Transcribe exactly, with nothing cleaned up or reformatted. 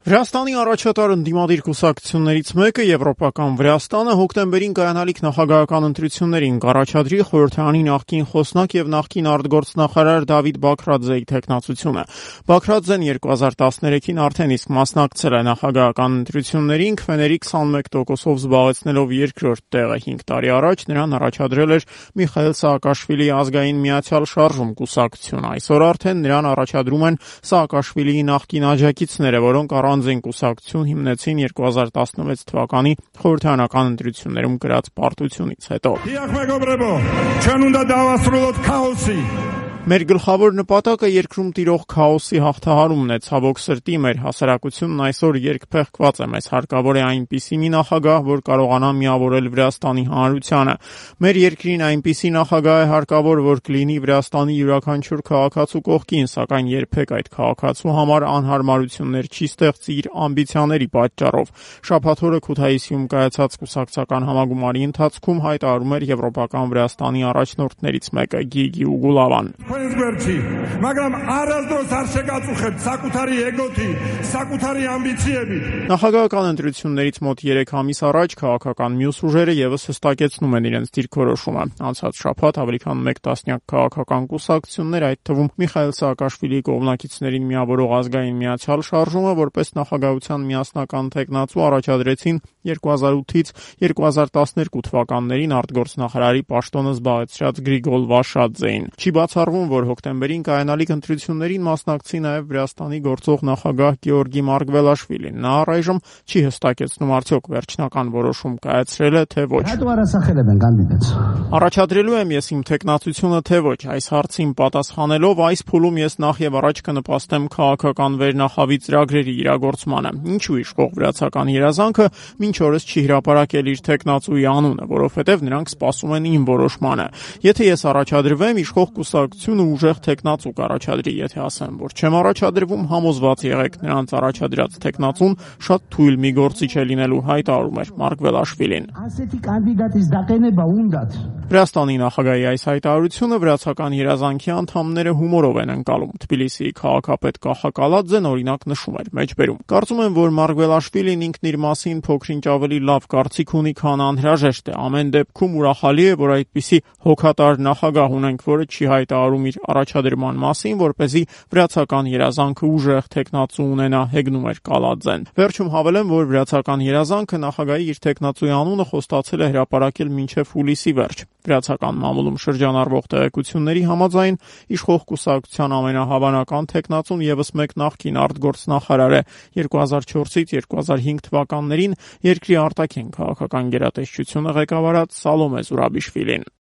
Վրաստանի առաջատար ընդդիմադիր կուսակցություններից մեկը Եվրոպական Վրաստանը հոկտեմբերին կայանալիք նախագահական ընտրություններին կառաջադրի խորհրդարանի նախկին խոսնակ եւ նախկին արտգործնախարար Դավիթ Բաքրաձեի թեկնածությունը։ Բաքրաձեն երկու հազար տասներեքին արդեն իսկ մասնակցել է նախագահական ընտրություններին, քվեների քսանմեկ տոկոսով զբաղեցնելով երկրորդ տեղը հինգ տարի առաջ նրան առաջադրել էր Միխայիլ Սաակաշվիլիի ազգային միացյալ շարժում կուսակցությունը։ Այսօր արդեն նրան առաջադրում են Սաակաշվիլիի նախկին աջակիցները, որոնք առանձին կուսակցություն հիմնեցին երկու հազար տասնվեց թվականի խորհրդարանական ընտրություններում կրած պարտությունից հետո։ Մեր գլխավոր նպատակը երկրում տիրող քաոսի հաղթահարումն է, ցավոք սրտի մեր հասարակությունն այսօր երկփեղկված է, մեզ հարկավոր է այնպիսի մի նախագահ, որ կարողանա միավորել Վրաստանի հանրությանը։ Մեր երկրին այնպիսի նախագահ է հարկավոր, որ կլինի Վրաստանի յուրաքանչյուր քաղաքացու կողքին, սակայն երբեք այդ քաղաքացու համար անհարմարություններ չի ստեղծի իր ամբիցիաների պատճառով։ Շաբաթ օրը Քութայիսիում կայացած կուսակցական համագումարի ընթացքում հայտարարում էր Եվրոպական Վրաստանի առաջնորդներից մեկը Գիգի Ուգուլավան։ Მაგრამ առանձնոց არ շեկացուխებ սակութարի եգոթի, սակութարի ամբիցիեբի։ Նախագահական ընտրություններից մոտ երեք ամիս առաջ քաղաքական մյուս ուժերը եւս հստակեցնում են իրենց դիրքորոշումը։ Անցած շաբաթ ավելի քան մեկ տասնյակ քաղաքական կուսակցություններ, այդ թվում Միխայիլ Սաակաշվիլիի կողմնակիցներին միավորող ազգային միացյալ շարժումը, որպես նախագահության միասնական թեկնածու առաջադրեցին երկու հազար ութից երկու հազար տասներկու թվականներին արտգործնախարարի պաշտոնը զբաղեցրած Գրիգոլ Վաշադզեին։ Չի բացառվում, որ հոկտեմբերին կայանալիք ընտրություններին մասնակցի նաև Վրաստանի գործող նախագահ Գեորգի Մարգվելաշվիլին։ Նա առայժմ չի հստակեցնում արդյոք վերջնական որոշում կայացրել է, թե ոչ։ Առաջադրելու եմ ես իմ թեկնածությունը, թե ոչ։ Այս հարցին պատասխանելով այս փուլում ես նախ եւ առաջ կնպաստեմ քաղաքական վերնախավի ծրագրերի իրագործմանը։ Ինչու իշխող վրացական երազանքը մինչ օրս չի հրապարակել իր թեկնածուի անունը, որովհետեւ նրանք սպասում են իմ որոշմանը։ Եթե ես առաջադրվեմ, իշխող կուսակցությունը ուժեղ թեկնածու կառաջադրի, եթե ասեմ, որ չեմ առաջադրվում, համոզված եղեք, նրանց առաջադրած թեկնածուն շատ թույլ մի գործիչ է լինելու, հայտարարում էր Մարգվելաշվիլին։ Վրաստանի նախագահի այս հայտարարությունը վրացական երազանքի անդամները հումորով են ընկալում։ Թբիլիսիի քաղաքապետ Կախա Կալաձեն օրինակ նշում էր մեջբերում. Կարծում եմ, որ Մարգվելաշվիլին ինքն իր մասին փոքրինչ ավելի լավ կարծիք ունի, քան անհրաժեշտ է։ Ամեն դեպքում ուրախալի է, որ այդպիսի հոգատար նախագահ ունենք, որը չի հայտարարում իր առաջադրման մասին, որպեսզի վրացական երազանքը ուժեղ թեկնածու ունենա, հեգնում էր Կալաձեն։ Վերջում հավելեմ, որ վրացական երազանքը նախագահի իր թեկնածուի անունը խոստացել է հրապարակել մինչև հուլիսի վերջ։ Վրացական մամուլում շրջանառվող տեղեկությունների համաձայն իշխող կուսակցության ամենահավանական թեկնածուն եւս մեկ նախկին արտգործնախարար է։ երկու հազար չորսից երկու հազար հինգ թվականներին երկրի արտաքին քաղաքական գերատեսչությունը ղեկավարած Սալոմե Զուրաբիշվիլին։